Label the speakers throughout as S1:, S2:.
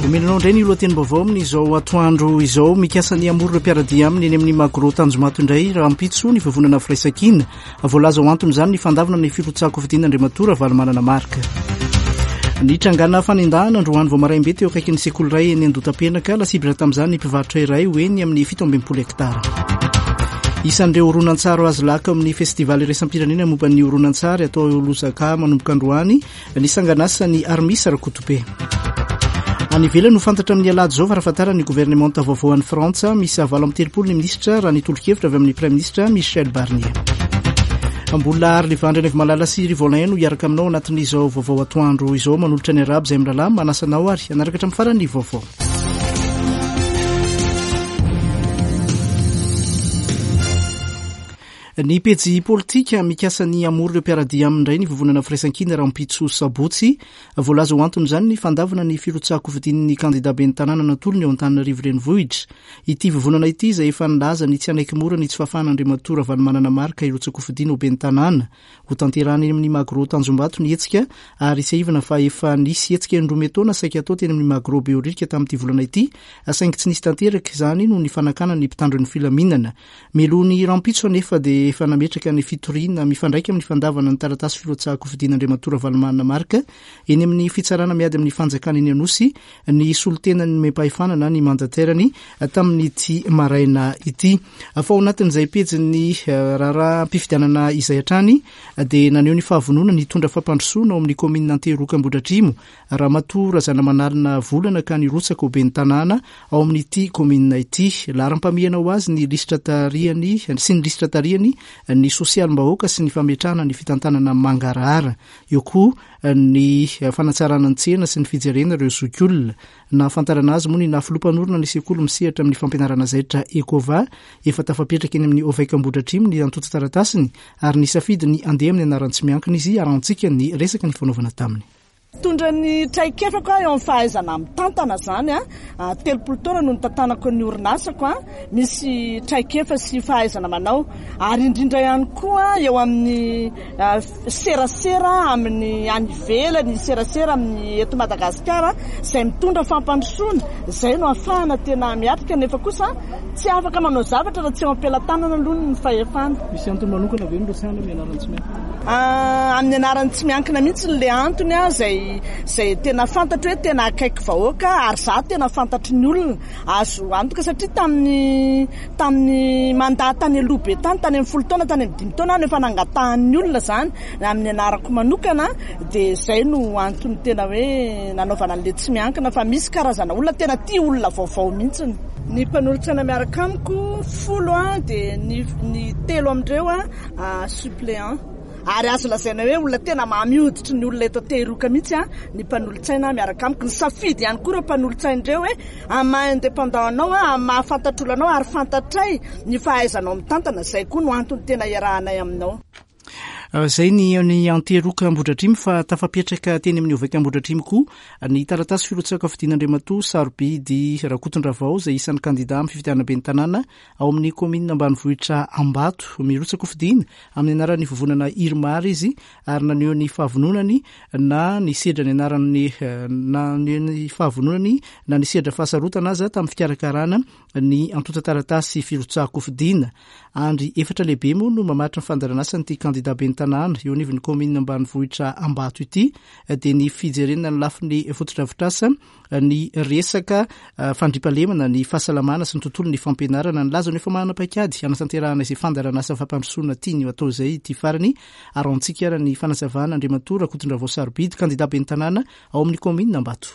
S1: Omenanao indray ny lohatenim-baovao amin'izao atoandro izao. Mikasa ny hamory ireo mpiara-dia aminy eny amin'ny Magro Tanjomato indray rahampitso ny vovonana Firaisankina. Voalaza ho anton'izany ny fandavana ny firotsahan-kofidina Andriamatoa Ravalomanana Marc. Nitrangana fanendahana androany vao maraim-be teo akaikin'ny sekoly iray eny Andotapenaka. Lasibatra tamin'izany ny mpivarotra iray ho eny amin'ny 67 hektara. Isan'ireo horonantsary azo laka amin'ny festival iraisam-pirenena momba ny horonantsary atao eo Lusaka manomboka androany Ny sangan'asan'i Armis Rakotobe. Any ivelany ho fantatra amin'ny alahady izao farafahatarany ny governemanta vaovao any Frantsa. Misy 38 ny minisitra raha ny tolo-kevitra avy amin'ny praiminisitra Michel Barnier. Mbola ary Levandry Anaivomalala sy Rivolin no hiaraka aminao anatin'izao vaovao atoandro izao manolotra ny arabo izay mirahalahy manasa anao ary hanaraka hatramin'ny farany ny vaovao. Ny pejy politika, mikasa ny hamory ireo mpiara-dia aminy indray ny Vovonana Firaisankina rahampitso sabotsy. Voalaza ho anton'izany ny fandavana ny firotsahan-kofidin'ny kandida ben'ny tanàna natolony eo Antananarivo Renivohitra. Ity vovonana ity izay efa nilaza ny tsy hanaiky mora ny tsy fahafahan'Andriamatoa Ravalomanana Marc hirotsa-kofidina ho ben'ny tanàna. Hotanterahina eny amin'ny Magro Tanjombato ny hetsika ary tsiahivina fa efa nisy hetsika indroa miantaona saika hatao teny amin'ny Magro Behoririka tamin'ity volana ity saingy tsy nisy tanteraka izany noho ny fanakanan'ny mpitandro ny filaminana. Mialoha ny rahampitso anefa dia efa nametraka ny fitoriana mifandraika amin'ny fandavana ny taratasy firotsahan-kofidin'Andriamatoa Ravalomanana Marc eny amin'ny fitsarana miady amin'ny fanjakana eny Anosy ny solontenany nomem-pahefana na ny mandataire-ny tamin'ity maraina ity. Fa ao anatin'izay pejin'ny eh, raharaham-pifidianana izay hatrany dia naneho ny fahavononany hitondra fampandrosoana ao amin'ny kaominina Antehiroka Ambohidratrimo Ramatoa Razanamanalina Volana ka nirotsaka ho ben'ny tanàna ao amin'ity kaominina ity. Laharam-pahamehana ho azy ny lisitra tarihany sy ny lisitra tarihany ny sosialim-bahoaka sy ny fametrahana ny fitantanana mangarahara. Eo koa ny fanatsarana ny tsena sy ny fijerena ireo zokiolona. Nahafantarana azy moa ny naha filoha mpanorina ny sekoly misehatra amin'ny fampianarana zaitra Ecova. Efa tafapetraka eny amin'ny Ovec Ambohidratrimo ny antontan-taratasiny ary nisafidy ny handeha amin'ny anaran'ny tsy miankina izy arahantsika ny resaka nifanaovana taminy.
S2: Mitondra ny traikefako aho eo amin'ny fahaizana mitantana izany. 30 taona no nitantanako ny orinasako. Misy traikefa sy fahaizana manao ary indrindra ihany koa eo amin'ny serasera amin'ny any ivelany, serasera amin'ny eto Madagasikara izay mitondra fampandrosoana. Izay no ahafahana tena miatrika nefa kosa tsy afaka manao zavatra raha tsy eo am-pelatanana aloha ny fahefana.
S1: Misy antony manokana ve nirotsahana amin'ny anaran'ny tsy miankina?
S2: Amin'ny anaran'ny tsy miankina mihitsy ilay antony izay izay tena fantatro hoe tena akaiky vahoaka ary izaho tena fantatry ny olona. Azo antoka satria tamin'ny tamin'ny mandat tany aloha be tany, tany amin'ny folo taona, tany amin'ny dimy taona aho no efa nangatahan'ny olona izany amin'ny anarako manokana dia izay no antony tena hoe nanaovana an'ilay tsy miankina fa misy karazana olona tena tia olona vaovao mihitsy. Ny mpanolotsaina miaraka amiko folo dia ny ny telo amin'ireo suppléant ary azo lazaina hoe olona tena mamy hoditry ny olona eto Antehiroka mihitsy ny mpanolotsaina miaraka amiko. Nisafidy ihany koa ireo mpanolotsaina ireo hoe amin'ny maha indépendant anao, amin'ny maha fantatr'olona anao ary fantatray ny fahaizanao mitantana, izay koa no antony tena iarahanay aminao.
S1: Izay ny ny Antehiroka Ambohidratrimo fa tafapetraka teny amin'ny Ovec Ambohidratrimo koa ny taratasy firotsahan-kofidin'Andriamatoa Sarobidy Rakotondravao izay isan'ny kandida amin'ny fifidianana ben'ny tanàna ao amin'ny kaominina ambanivohitra Ambato. Mirotsa-kofidina amin'ny anaran'ny vovonana Irmar izy ary naneho ny fahavononany na nisedra ny anaran'ny naneho ny fahavononany na nisedra fahasarotana aza tamin'ny fikarakarana ny antontan-taratasy firotsahan-kofidina. Andry efatra lehibe moa no mamaritra ny fandaharanasan'ity kandida ben'ny tanàna eo anivon'ny kaominina ambanivohitra Ambato ity dia ny fijerena ny lafiny fotodrafitrasa, ny resaka fandriampahalemana, ny fahasalamana sy ny tontolon'ny fampianarana. Nilaza no efa manana paikady hanatanterahana izay fandaharanasa fampandrosoana tiany ho atao izay ity farany. Arahantsika ary ny fanazavana Andriamatoa Rakotondravao Sarobidy, kandida ben'ny tanàna ao amin'ny kaominina Ambato.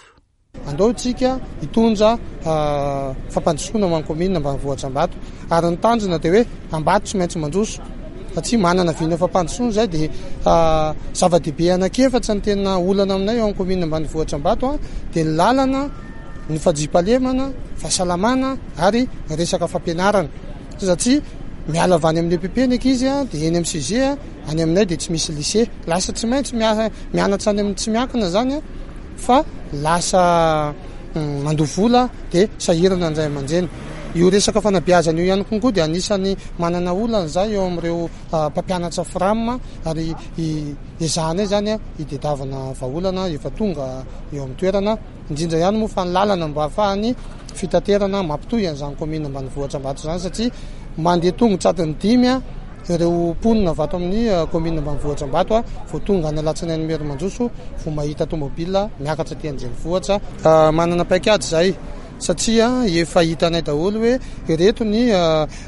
S3: Andao isika hitondra fampandrosoana ho an'ny kaominina ambanivohitra Ambato ary ny tanjona dia hoe Ambato tsy maintsy mandroso satria manana vina fampandrosoana izay dia zava-dehibe anankiefatra ny tena olana aminay ao amin'ny kaominina ambanivohitra Ambato dia ny lalana, ny fandriampahalemana, fahasalamana ary ny resaka fampianarana satria miala avy any amin'ny EPP ny ankizy dia eny amin'ny CG any aminay dia tsy misy lycée lasa tsy maintsy mianatra any amin'ny tsy miankina izany fa lasa mandoa vola dia sahirana ny ray aman-dreny. Io resaka fanabeazana io ihany koa dia anisan'ny manana olana izay eo amin'ireo mpampianatra Fram ary ezahanay izany hitadiavana vahaolana efa tonga eo amin'ny toerana, indrindra ihany moa fa ny lalana mba ahafahan'ny fitaterana mampitohy an'izany kaominina ambanivohitra Ambato izany satria mandeha tongotra adiny dimy ireo mponina avy ato amin'ny kaominina ambanivohitra Ambato vao tonga any Alatsinainy Imerimandroso vao mahita tomobile miakatra aty an-drenivohitra. Manana paikady izahay satria efa hitanay daholo hoe ireto ny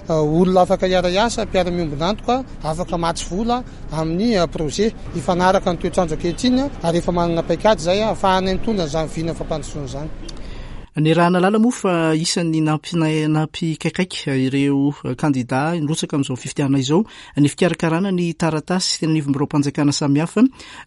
S3: olona afaka hiara-hiasa, mpiara-miombon'antoka, afaka hamatsy vola amin'ny projet hifanaraka ny toetr'andro ankehitriny ary efa manana paikady izahay ahafahanay mitondra an'izany vina fampandrosoana izany.
S1: Niaraha-nahalala moa fa isan'ny nampikaikaika ireo kandidà nirotsaka amin'izao fifidianana izao ny fikarakarana ny taratasy teny anivon'ny biraom-panjakana samihafa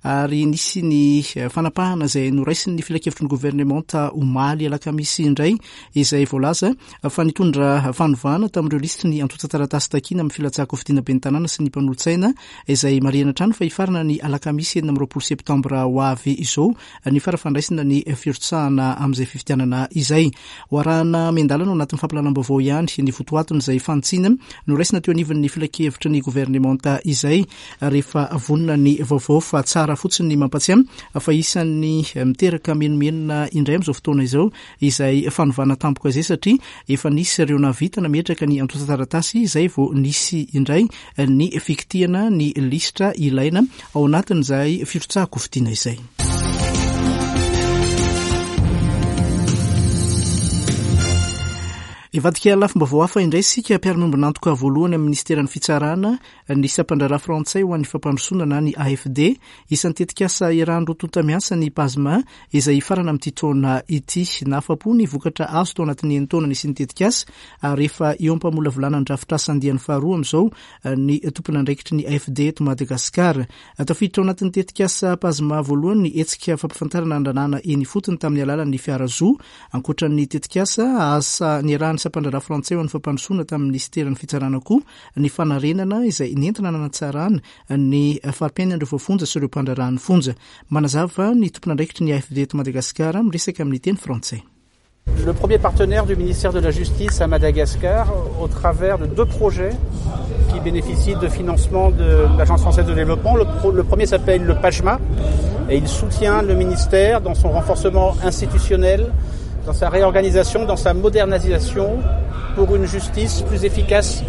S1: ary nisy ny fanapahana izay noraisin'ny filankevitry ny governemanta omaly alakamisy indray izay voalaza fa nitondra fanovana tamin'ireo lisitry ny antontan-taratasy takiana amin'ny filatsahan-kofidina ben'ny tanàna sy ny mpanolotsaina izay marihana hatrany fa hifarana ny alakamisy 26 septambra ho avy izao ny fara-fandraisana ny firotsahana amin'izay fifidianana izay. Ho arahana miandalana ao anatin'ny fampahalalam-baovao ihany ny votoatin'izay fanitsiana noraisina teo anivon'ny filankevitry ny governemanta izay rehefa vonona ny vaovao fa tsara fotsiny ny mampatsiahy fa isan'ny miteraka menomenona indray amin'izao fotoana izao izay fanovana tampoka izay satria efa nisy ireo nahavita nametraka ny antontan-taratasy izay vao nisy indray ny fikitihana ny lisitra ilaina ao anatin'izay firotsahan-kofidina izay. Hivadika lafim-baovao hafa indray isika, mpiara-miombon'antoka voalohany amin'ny minisiteran'ny Fitsarana, ny sampandraharaha frantsay ho an'ny fampandrosoana na ny AFD. Isan'ny tetikasa iarahan'ny roa tonta miasa ny PASMA izay hifarana amin'ity taona ity. Nahafa-po ny vokatra azo tao anatin'ny enin-taona nisian'ny tetikasa ary efa eo am-pamolavolana ny drafitrasa andiany faharoa amin'izao ny tompon'andraikitry ny AFD eto Madagasikara. Tafiditra ao anatin'ny tetikasa PASMA voalohany ny hetsika fampifantarana ny lalàna eny ifotony tamin'ny alalan'ny fiara zo. Ankoatra ny tetikasa, asa niarahan'ny sampandraharaha frantsay ho an'ny fampandrosoana tamin'ny minisiteran'ny fitsarana koa ny fanarenana izay nentina nanatsarana ny fari-piainan'ireo voafonja sy ireo mpandraharaha ny fonja. Manazava ny tompon'andraikitry ny AFD eto Madagasikara miresaka amin'ny teny frantsay.
S4: Le premier partenaire du ministère de la Justice à Madagascar au travers de deux projets qui bénéficient de financement de l'Agence française de développement. Le, pro, le premier s'appelle le PAJMA et il soutient le ministère dans son renforcement institutionnel, dans sa réorganisation, dans sa modernisation pour une justice plus efficace,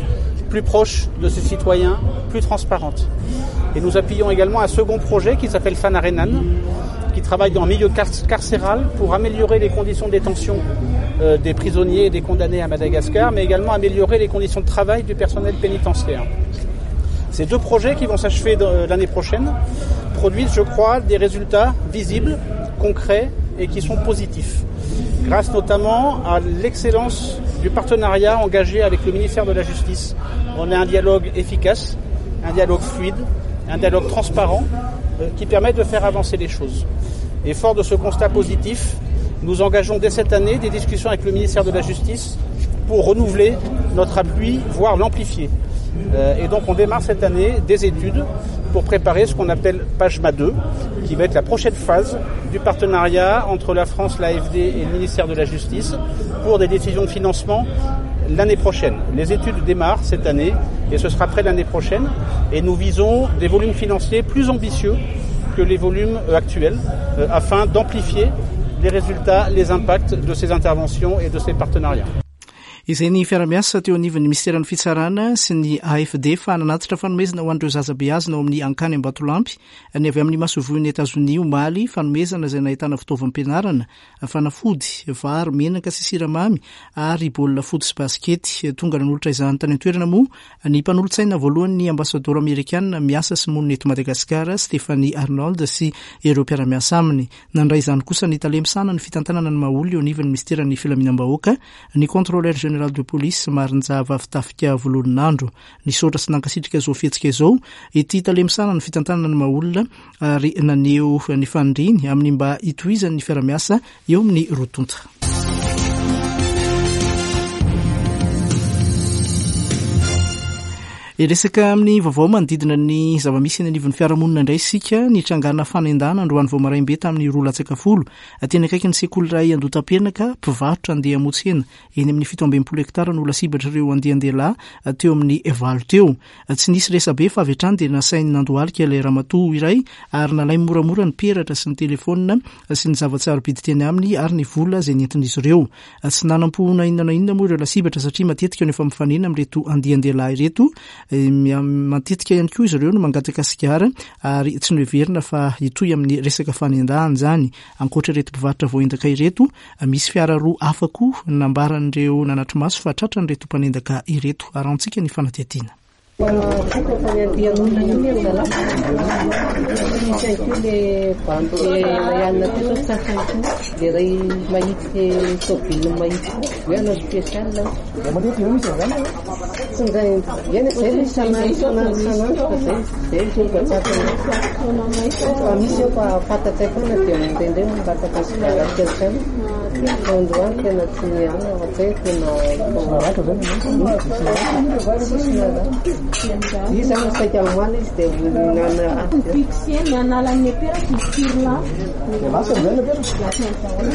S4: plus proche de ses citoyens, plus transparente. Et nous appuyons également un second projet qui s'appelle Fanarenan, qui travaille dans le milieu carcéral pour améliorer les conditions de détention euh, des prisonniers et des condamnés à Madagascar, mais également améliorer les conditions de travail du personnel pénitentiaire. Ces deux projets qui vont s'achever euh, l'année prochaine produisent, je crois, des résultats visibles, concrets et qui sont positifs. Grâce notamment à l'excellence du partenariat engagé avec le ministère de la Justice. On a un dialogue efficace, un dialogue fluide, un dialogue transparent euh, qui permet de faire avancer les choses. Et fort de ce constat positif, nous engageons dès cette année des discussions avec le ministère de la Justice pour renouveler notre appui, voire l'amplifier. Euh, et donc on démarre cette année des études pour préparer ce qu'on appelle PAJMA 2, qui va être la prochaine phase du partenariat entre la France, l'AFD et le ministère de la Justice pour des décisions de financement l'année prochaine. Les études démarrent cette année et ce sera prêt l'année prochaine. Et nous visons des volumes financiers plus ambitieux que les volumes euh, actuels euh, afin d'amplifier les résultats, les impacts de ces interventions et de ces partenariats.
S1: Izay ny fiara-miasa teo anivon'ny minisiteran'ny Fitsarana sy ny AFD fa nanatitra fanomezana ho an'ireo zaza beazina ao amin'ny Ankany Ambatolampy ny avy amin'ny masoivohon'i Etazonia omaly, fanomezana izay nahitana fitaovam-pianarana, fanafody, vary, menaka sy siramamy ary baolina foot sy basikety. Tonga nanolotra izany tany an-toerana moa ny mpanolotsaina voalohan'ny ambasadaoro amerikana miasa sy monina eto Madagasikara, Stephanie Arnold sy ireo mpiara-miasa aminy. Nandray izany kosa ny tale misahana ny fitantanana ny maha-olona eo anivon'ny minisiteran'ny Filaminam-bahoaka, ny Contrôleur général de police Marinjava Fitafika Vololonandro. Nisaotra sy nankasitraka izao fihetsika izao ity tale misahana ny fitantanana ny maha-olona ary naneho ny faniriany amin'ny mba hitohizan'ny fiara-miasa eo amin'ny roa tonta. Hiresaka amin'ny vaovao manodidina ny zava-misy eny anivon'ny fiarahamonina indray isika. Nitrangana fanendahana androany vao maraim-be tamin'ny roa latsaka folo teny akaikin'ny sekoly iray Andotapenaka, mpivarotra andeha hamotsy hena eny amin'ny 67 hektara no lasibatr'ireo andian-dehilahy teo amin'ny valo teo. Tsy nisy resabe fa avy hatrany dia nasainy nandohalika ilay ramatoa iray ary nalainy moramora ny peratra sy ny telefaonina sy ny zava-tsarobidy teny aminy ary ny vola izay nentin'izy ireo. Tsy nanam-po na inona na inona moa ireo lasibatra satria matetika no efa mifanena amin'ireto andian-dehilahy ireto. Matetika ihany koa izy ireo no mangataka sigara ary tsy noheverina fa hitohy amin'ny resaka fanendahana izany. Ankoatra ireto mpivarotra voaendaka ireto, misy fiara roa hafa koa nambaran'ireo nanatri-maso fa tratran'ireto mpanendaka ireto. Arahantsika ny fanadihadiana.
S5: Vokatra ny andian'olona iny ry zalahy. Misy ihany koa le bandy iray alina teo zao tratra ihany koa. Le iray mahitsy le tôbily mahitsy koa. Hoe hanao spécial.
S3: Matetika ve misy an'izany?
S5: Tsy indray, eny zay le isan'andro isan'andro isan'andro fa zay zay zao mba tsapany. Fa misy eo fa fantatray foana dia indraindray mangataka sigara kely hatrany. Fa androany tena tsy niala fa zay tena
S3: Naratra zany ianao?
S5: Tsisy naratra. Izy zany saika omaly izy dia nana
S3: Dia lasa amin'izay ilay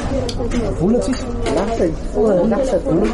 S3: peratra? Vola tsisy?
S5: Lasa lasa daholo.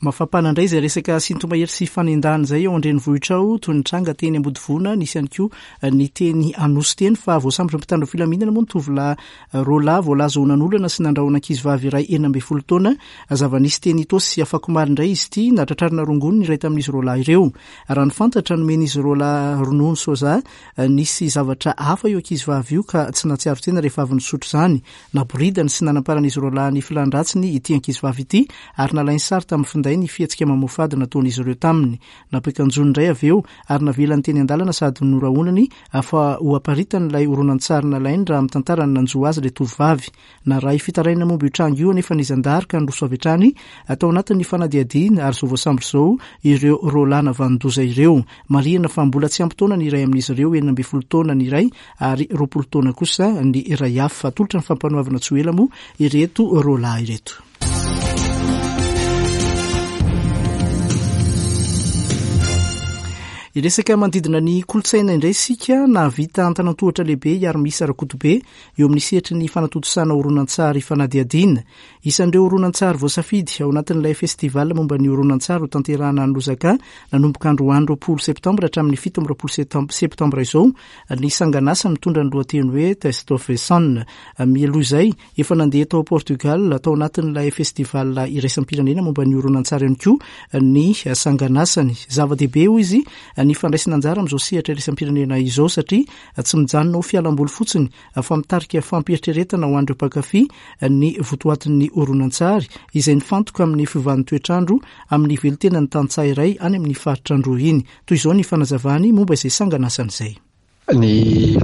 S1: Mafampana indray izay resaka sinto-mahery sy fanendahana izay ao an-drenivohitra ao, toy ny tranga teny Ambodivona, nisy ihany koa ny teny Anosy teny fa voasambotry ny mpitandro filaminana moa ny tovolahy Roa lahy voalaza ho nanolana sy nandrahona ankizivavy iray 16 taona. Zava-nisy teny Itaosy afakomaly indray izy ity. Nahatratrarina rongony ny iray tamin'izy roa lahy ireo. Raha ny fantatra, nomen'izy roa lahy ronono soja nisy zavatra hafa io ankizivavy io ka tsy nahatsiaro tena rehefa avy nisotro izany. Naboridany sy nanamparan'izy roa lahy ny filan-dratsiny ity ankizivavy ity ary nalainy sary tamin'ny finday ny fihetsika mamoafady nataon'izy ireo taminy. Nampiakanjoany indray avy eo ary navelany teny an-dalana sady norahonany fa ho aparitany ilay horonantsary nalainy raha mitantara ny nanjo azy ilay tovovavy. Narahy fitarainana momba io tranga io anefa ny zandary ka niroso avy hatrany tao anatin'ny fanadihadiana ary izao voasambotra izao ireo roalahy navanon-doza ireo. Marihina fa mbola tsy ampy taona ny iray amin'izy ireo, 16 taona ny iray ary 20 taona kosa ny iray hafa. Atolotra ny fampanoavana tsy ho ela moa ireto roalahy ireto. Hiresaka manodidina ny kolontsaina indray isika. Nahavita antanan-tohatra lehibe i Armisa Rakotobe eo amin'ny sehatry ny fanatontosana horonantsary fanadihadiana. Isan'ireo horonantsary voasafidy ao anatin'ilay festival momba ny horonantsary hotanterahana any Lozaka nanomboka androany 20 septambra hatramin'ny 27 septambra izao ny sanganasa mitondra ny lohateny hoe Test of Sun. Mialoha izay, Efa nandeha tao Portugal, tao anatin'ilay festival iraisam-pirenena momba ny horonantsary ihany koa ny sanganasany. Zava-dehibe, hoy izy, ny fandraisana anjara amin'izao sehatra iraisam-pirenena izao satria tsy mijanona ho fialamboly fotsiny fa mitarika fampieritreretana ho an'ireo mpankafy ny votoatin'ny horonantsary izay nifantoka amin'ny fiovan'ny toetr'andro amin'ny velontenan'ny tantsaha iray any amin'ny faritra Androy iny. Toy izao ny fanazavany momba izay sanganasany izay.
S6: Ny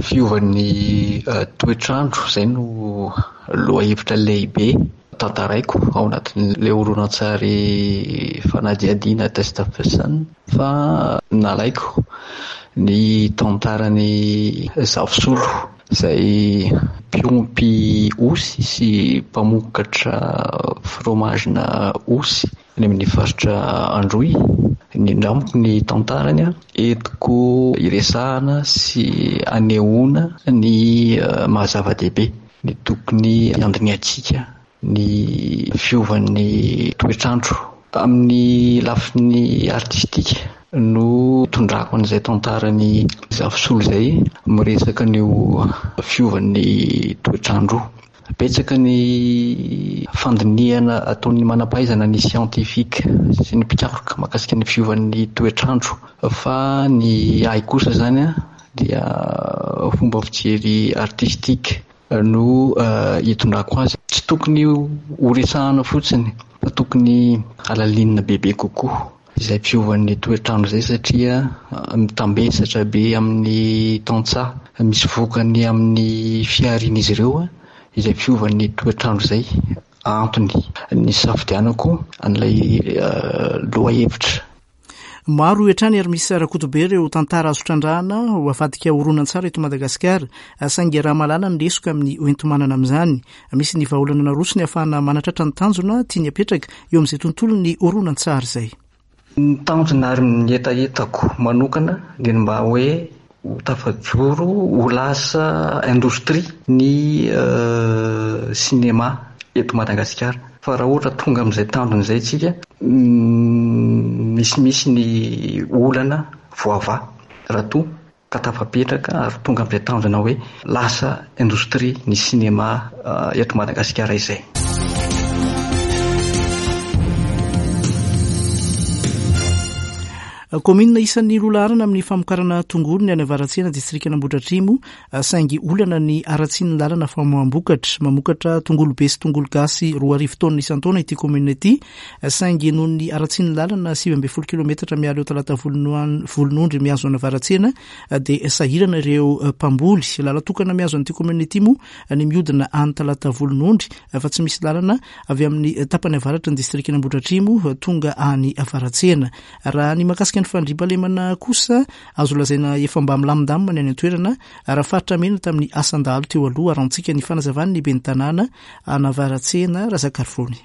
S6: fiovan'ny toetr'andro, izay no lohahevitra lehibe tantaraiko ao anatin'ilay horonantsary fanadihadiana Test of the Sun fa nalaiko ny tantaran'i Zafisolo izay mpiompy osy sy mpamokatra fromage-na osy. Any amin'ny faritra Androy. Nindramiko ny tantarany, entiko hiresahana sy hanehoana ny maha zava-dehibe ny tokony handinihantsika ny fiovan'ny toetr'andro. Amin'ny lafiny artistika no itondrako an'izay tantaran'i Zafisolo izay, miresaka an'io fiovan'ny toetr'andro io. Betsaka ny fandinihana ataon'ny manam-pahaizana, ny scientifique sy ny mpikaroka mahakasika ny fiovan'ny toetr'andro fa ny ahy kosa izany dia fomba fijery artistique no itondrako azy. Tsy tokony ho resahana fotsiny fa tokony halalinina bebe kokoa. Izay fiovan'ny toetr'andro izay satria mitambesatra be amin'ny tantsaha, misy vokany amin'ny fiharian'izy ireo izay fiovan'ny toetr'andro izay, antony nisafidianako an'ilay lohahevitra.
S1: Maro hoy hatrany ary misy Rakotobe ireo tantara azo trandrahana ho avadika horonantsary eto Madagasikara, saingy raha mahalala ny lesoka amin'ny hoenti-manana amin'izany. Misy ny vahaolana narosony ahafahana manatratra ny tanjona tiany hapetraka eo amin'izay tontolon'ny horonantsary izay.
S6: Ny tanjona ary ny hetahetako manokana dia ny mba hoe ho tafajoro ho lasa indostria ny sinema eto Madagasikara. Fa raha ohatra tonga amin'izay tanjona izay isika, misimisy ny olana voavaha raha toa ka tafapetraka ary tonga amin'izay tanjona hoe lasa indostria ny sinema eto Madagasikara izay.
S1: Kaominina isan'ny loha laharana amin'ny famokarana tongolo ny any Avaratsena, distrikan'Ambohidratrimo, saingy olana ny haratsian'ny lalana famoaham-bokatra. Mamokatra tongolo be sy tongolo gasy 2000 taonina isan-taona ity kaominina ity, saingy noho ny haratsian'ny lalana 19 kilometatra miala eo Talata Volonondry mihazo an'Avaratsena dia sahirana ireo mpamboly. Lalan-tokana mihazo an'ity kaominina ity moa ny mihodina any Talata Volonondry fa tsy misy lalana avy amin'ny tapany avaratry ny distrikan'Ambohidratrimo tonga any Avaratsena. Raha ny mahakasika ny fandriampahalemana kosa, azo lazaina efa mba milamindamina ny any an-toerana raha faritra mena tamin'ny asan-dahalo teo aloha, arantsika ny fanazavan'ny ben'ny tanàna an'Avaratsena, Razakarivony.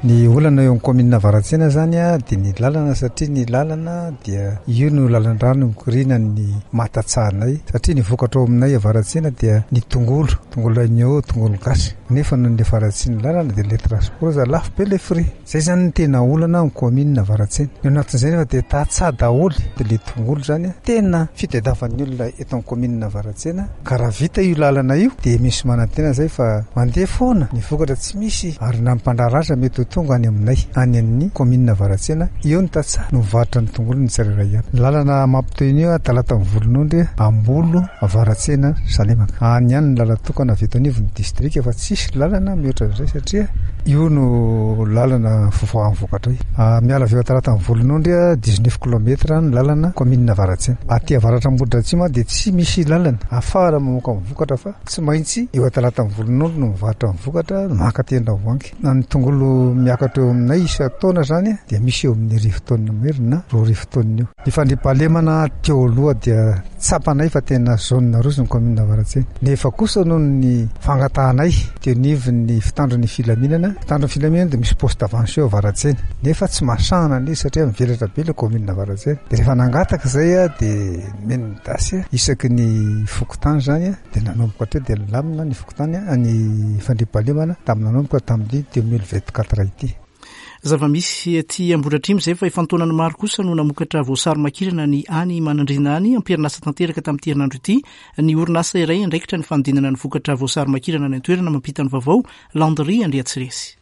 S7: Ny olana eo amin'ny kaominina Avaratsena izany dia ny lalana satria ny lalana dia io no lalan-drano mikoriana ny maha-tantsahanay satria ny vokatra ao aminay Avaratsena dia ny tongolo, tongolo agneau, tongolo gasy nefa noho ny faharatsian'ny lalana dia ilay transport aza lafo be ilay frais. Zay zany no tena olana ao kaominina Avaratsena. Ny ao anatin'izay nefa dia tantsaha daholo dia le tongolo zany tena fitadiavan'ny olona eto amin'ny kaominina Avaratsena ka raha vita io lalana io dia misy manantena zay fa mandeha foana ny vokatra tsy misy ary na ny mpandraharaha aza mety ho tonga any aminay any amin'ny kaominina Avaratsena eo ny tantsaha no mivarotra ny tongolo ny tsirairay avy. Ny lalana mampitohy an'io Talata Mivolonondry, Ambolo, Avaratsena, Salemaka. Any ihany ny lalan-tokana avy eto anivon'ny distrika fa tsisy lalana mihoatra an'izay satria io no lalana fivoahan'ny vokatra io. Miala avy eo Antalata Mivolonondry, dix-neuf kilomètre ny lalana kaominina Avaratsena. Aty avaratra Ambohidratrimo dia tsy misy lalana ahafahana mamoaka ny vokatra fa tsy maintsy eo Antalata Mivolonondry no mivarotra ny vokatra maka aty Andravoahangy. Na ny tongolo miakatra eo aminay isan-taona izany dia misy eo amin'ny arivo taonina mahery na 2000 taonina eo. Ny fandriampahalemana teo aloha dia tsapanay fa tena zone rouge ny commune Avaratsena. Nefa kosa noho ny fangatahanay teo anivon'ny fitandro ny filaminana, fitandro ny filaminana dia misy poste avancé eo Avaratsena. Nefa tsy mahasahana an'izy satria mivelatra be ilay commune Avaratsena. Dia rehefa nangataka izay dia nomen'ny das isaky ny fokontany izany dia nanomboka hatreo dia nilamina ny fokontany, ny fandriampahalemana tamin'ny nanomboka tamin'ny 2024 ity.
S1: Zava-misy aty Ambohidratrimo izay fa efa an-taonany maro kosa no namokatra voasary makirana ny any Manandriana any. Am-perinasa tanteraka tamin'ity herinandro ity ny orinasa iray andraikitra ny fanodinana ny vokatra voasary makirana any an-toerana mampita ny vaovao, Landry Andriatsiresy.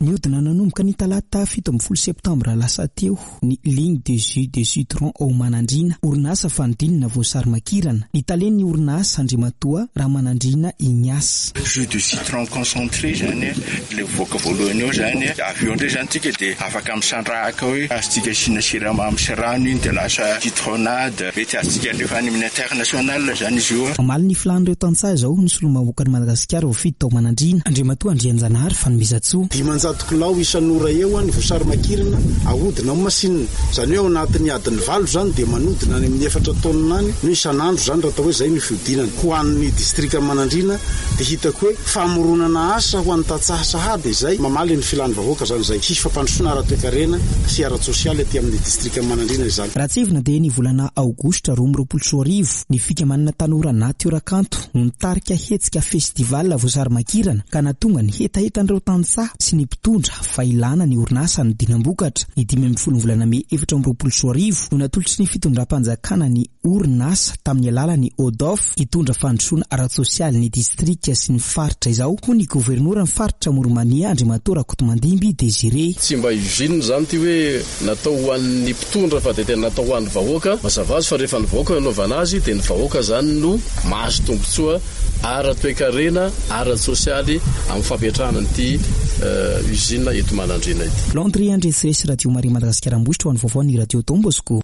S8: Nihodina nanomboka ny talata 17 septambra lasa teo ny Ligne de jus de citron ao Manandriana, orinasa fanodinana voasary makirana. Ny talen'ny orinasa, Andriamatoa Ramanandriana Ignace.
S9: Jus de citron concentré izany Ilay mivoaka voalohany eo izany, avy eo indray izany tsika dia afaka misandrahaka hoe azontsika asiana siramamy sy rano iny dia lasa citronnade, mety azontsika alefa any amin'ny international izany izy io.
S8: Mamaly ny filàn'ireo tantsaha izao ny solombavambahoakan'i Madagasikara voafidy tao Manandriana, Andriamatoa Andrianjanahary Fanomezantsoa.
S10: 500 kilao isan'ora eo ny voasary makirana ahodina amin'ny masinina. Izany hoe ao anatin'ny adiny valo izany dia manodina any amin'ny efatra taonina any no isan'andro izany raha atao hoe izay no fihodinana. Ho an'ny distrikan'i Manandriana dia hitako hoe Famoronana asa ho an'ny tantsaha sahady izay mamaly ny filan'ny vahoaka izany izay. Hisy fampandrosoana ara-toekarena sy ara-tsosialy aty amin'ny distrikan'i Manandriana izany.
S8: Raha tsiahivina dia ny volana aogositra 2022 ny fikambanana Tanora Natiora Kanto no nitarika hetsika festival voasary makirana ka nahatonga ny hetahetan'ireo tantsaha sy ny mpitondra fa ilana ny orinasa hanodinam-bokatra. Ny 15 ny volana mey 2024 no natolotry ny fitondram-panjakana ny orinasa tamin'ny alalan'ny ODOF hitondra fandrosoana ara-tsosialy ny distrika sy ny faritra izao, hoy ny governoran'ny faritra Amoron'i Mania, Andriamatoa Rakotomandimby Désiré.
S11: Tsy mba usine izany ity hoe natao ho an'ny mpitondra fa dia tena natao ho an'ny vahoaka. Mazava azy fa rehefa ny vahoaka no anaovana azy dia ny vahoaka izany no mahazo tombontsoa ara-toekarena, ara-tsosialy amin'ny fampiatrahana an'ity usine eto Manandriana ity.
S8: Landry Andresiresy Radio Maria Madagasikara Ambositra ho an'ny vaovaon'ny Radio Don Bosco.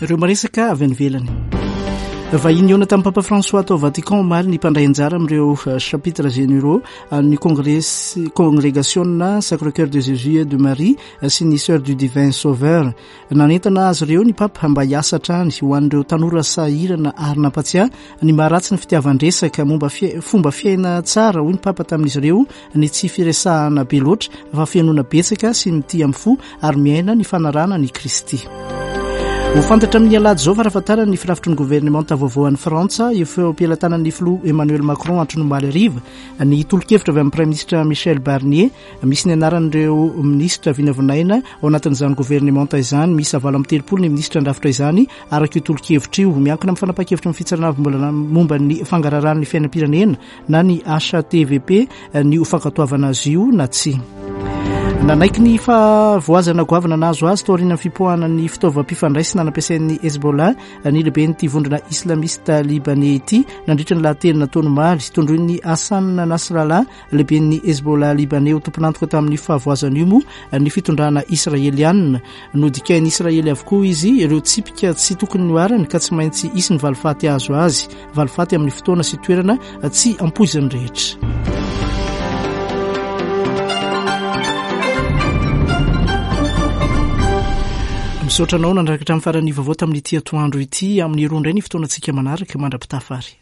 S1: Ireo maresaka avy any ivelany. Vahiny nihaona tamin'ny Papa François tao Vatican omaly ny mpandray anjara amin'ireo eh, chapitres généraux an'ny Congrès Congrégation Sacré-Cœur de Jésus et de Marie eh, sy ny Sœurs du Divin Sauveur. Nanentana azy ireo ny Papa mba hiasa hatrany ho an'ireo tanora sahirana ary nampatsiahy ny maharatsy ny fitiavan-dresaka momba fomba fiaina tsara hoy ny Papa tamin'izy ireo ny tsy firesahana be loatra fa fihenoana betsaka sy mitia amin'ny fo ary miaina ny fanarahana an'i Kristy. Ho fantatra amin'ny alahady izao farafahatarany ny firafitry ny governemanta vaovao any Frantsa eo am-pelatanan'ny filoha Emmanuel Macron hatrany omaly hariva ny tolo-kevitra avy amin'ny praiminisitra Michel Barnier misy ny anaran'ireo minisitra vinavinaina ao anatin'izany governemanta izany. Miisa 38 ny minisitra handrafitra izany araka io tolo-kevitra io. Miankina amin'ny fanapahan-kevitry ny fitsarana avo momba ny fangaraharahan'ny fiainam-pirenena na ny HATVP ny ho fankatoavana azy io na tsia. Nanaiky ny fahavoazana goavana nahazo azy taorian'ny fipoahana ny fitaovam-pifandraisana nampiasain'ny Hezbollah ny lehiben'ity vondrona islamista libaney ity nandritra ny lahateny nataony omaly. Tondroin'i Hassan Nasrallah, lehiben'ny Hezbollah libaney ho tompon'antoka tamin'ny fahavoazana io moa ny fitondrana israelianina. Nodikain'i Israely avokoa izy ireo tsipika tsy tokony nihoarany ka tsy maintsy hisy ny valifaty azo azy. Valifaty amin'ny fotoana sy toerana tsy ampoizin'ny rehetra. Misaotra anao nanaraka hatramin'ny faran'ny vaovao tamin'ity atoandro ity. Amin'ny roa indray ny fotoanantsika manaraka mandra-pitafa ary.